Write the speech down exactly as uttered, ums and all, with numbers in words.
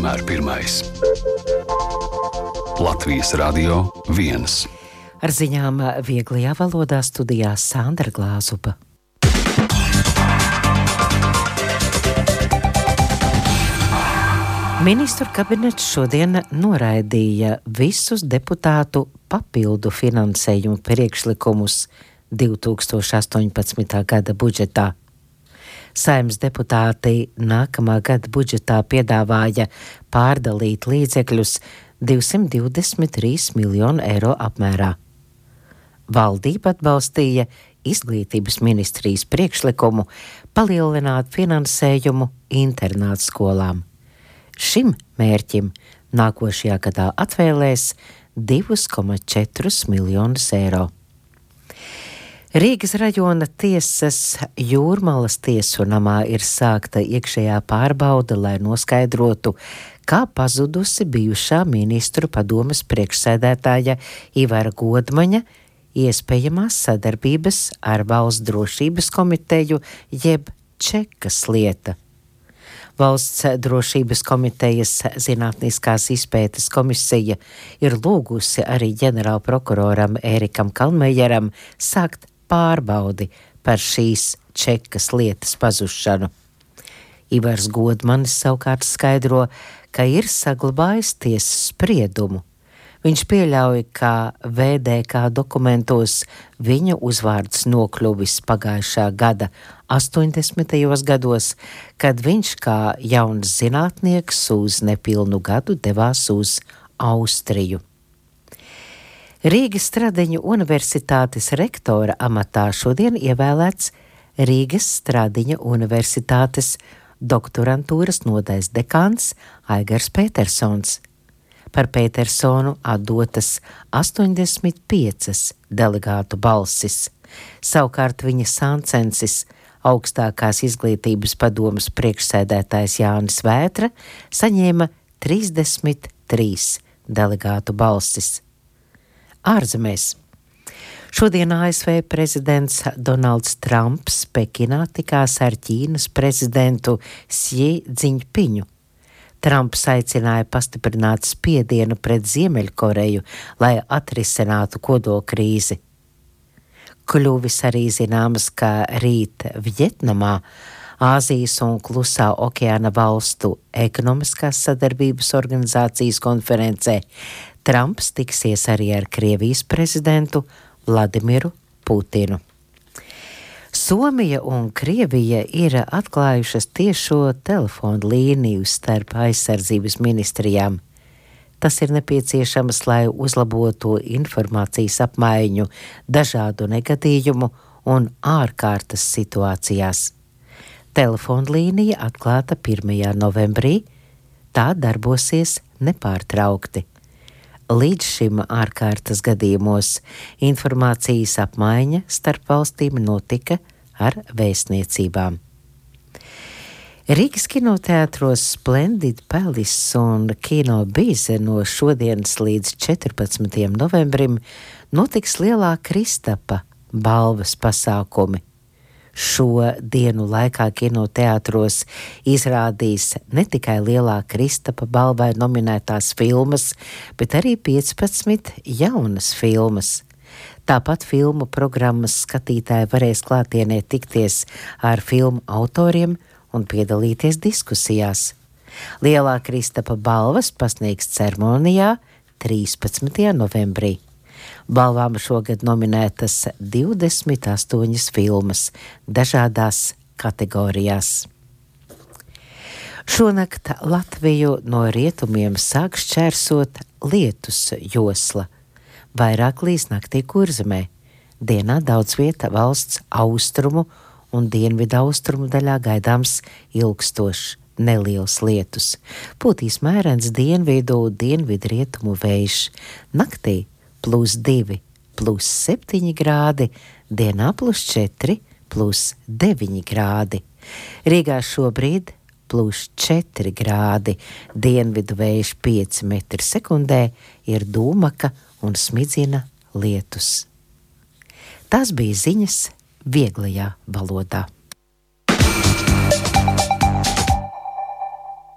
vienmēr pirmais. Latvijas Radio viens. Ar ziņām vieglajā valodā studijā Sandra Glāzupa. Ministru kabinets šodien noraidīja visus deputātu papildu finansējumu priekšlikumus divi tūkstoši astoņpadsmitā gada budžetā. Saeimas deputāti nākamā gada budžetā piedāvāja pārdalīt līdzekļus divsimt divdesmit trīs miljonu eiro apmērā. Valdība atbalstīja izglītības ministrijas priekšlikumu palielināt finansējumu internātu skolām. Šim mērķim nākošajā gadā atvēlēs divi komats četri miljonus eiro. Rīgas rajona tiesas Jūrmalas tiesu namā ir sākta iekšējā pārbaude, lai noskaidrotu, kā pazudusi bijušā ministru padomes priekšsēdētāja Ivara Godmaņa iespējamās sadarbības ar Valsts drošības komiteju jeb Čekas lieta. Valsts drošības komitejas zinātniskās izpētes komisija ir lūgusi arī ģenerālprokuroram Ērikam Kalmejeram sākt pārbaudi par šīs Čekas lietas pazušanu. Ivars Godmanis savukārt skaidro, ka ir saglabājis tiesas spriedumu. Viņš pieļauj, ka V D K dokumentos viņa uzvārds nokļuvis pagājušā gada astoņdesmitajos gados, kad viņš kā jauns zinātnieks uz nepilnu gadu devās uz Austriju. Rīgas Stradiņu universitātes rektora amatā šodien ievēlēts Rīgas Stradiņa universitātes doktorantūras nodaļas dekāns Aigars Petersons. Par Petersonu atdotas astoņdesmit piecas delegātu balsis. Savukārt viņa sāncensis, augstākās izglītības padomes priekšsēdētājs Jānis Vētra, saņēma trīsdesmit trīs delegātu balsis. Ārzemēs. Šodien A S V prezidents Donalds Trumps Pekinā tikās ar Ķīnas prezidentu Sī Dziņpiņu. Trumps aicināja pastiprināt spiedienu pret Ziemeļkoreju, lai atrisinātu kodolkrīzi. Kļuvis arī zināms, ka rīt Vjetnamā, Āzijas un Klusā okeāna valstu ekonomiskās sadarbības organizācijas konferencē, Trumps tiksies arī ar Krievijas prezidentu Vladimiru Putinu. Somija un Krievija ir atklājušas tiešo telefonu līniju starp aizsardzības ministrijām. Tas ir nepieciešams, lai uzlabotu informācijas apmaiņu dažādu negadījumu un ārkārtas situācijās. Telefonu līnija atklāta pirmajā novembrī, tā darbosies nepārtraukti. Līdz šim ārkārtas gadījumos informācijas apmaiņa starp valstīm notika ar vēstniecībām. Rīgas kinoteātros Splendid Palace un Kino Bize no šodienas līdz četrpadsmitajam novembrim notiks lielā Kristapa balvas pasākumi. Šo dienu laikā kinoteātros izrādīs ne tikai lielā Kristapa balvai nominētās filmas, bet arī piecpadsmit jaunas filmas. Tāpat filmu programmas skatītāji varēs klātienē tikties ar filmu autoriem un piedalīties diskusijās. Lielā Kristapa balvas pasniegs ceremonijā trīspadsmitajā novembrī. Balvām šogad nominētas divdesmit astoņas filmas dažādās kategorijās. Šonakt Latviju no rietumiem sāk šķērsot lietus josla. Vairāk līs naktī Kurzemē. Dienā daudz vieta valsts austrumu un dienvidu austrumu daļā gaidāms ilgstošs neliels lietus. Pūtīs mērens dienvidu, dienvidu rietumu vējš. Naktī plus divi, plus septiņi grādi, dienā plus četri, plus deviņi grādi. Rīgā šobrīd plus četri grādi, dienvidu vējš pieci metri sekundē, ir dūmaka un smidzina lietus. Tas bija ziņas vieglajā valodā.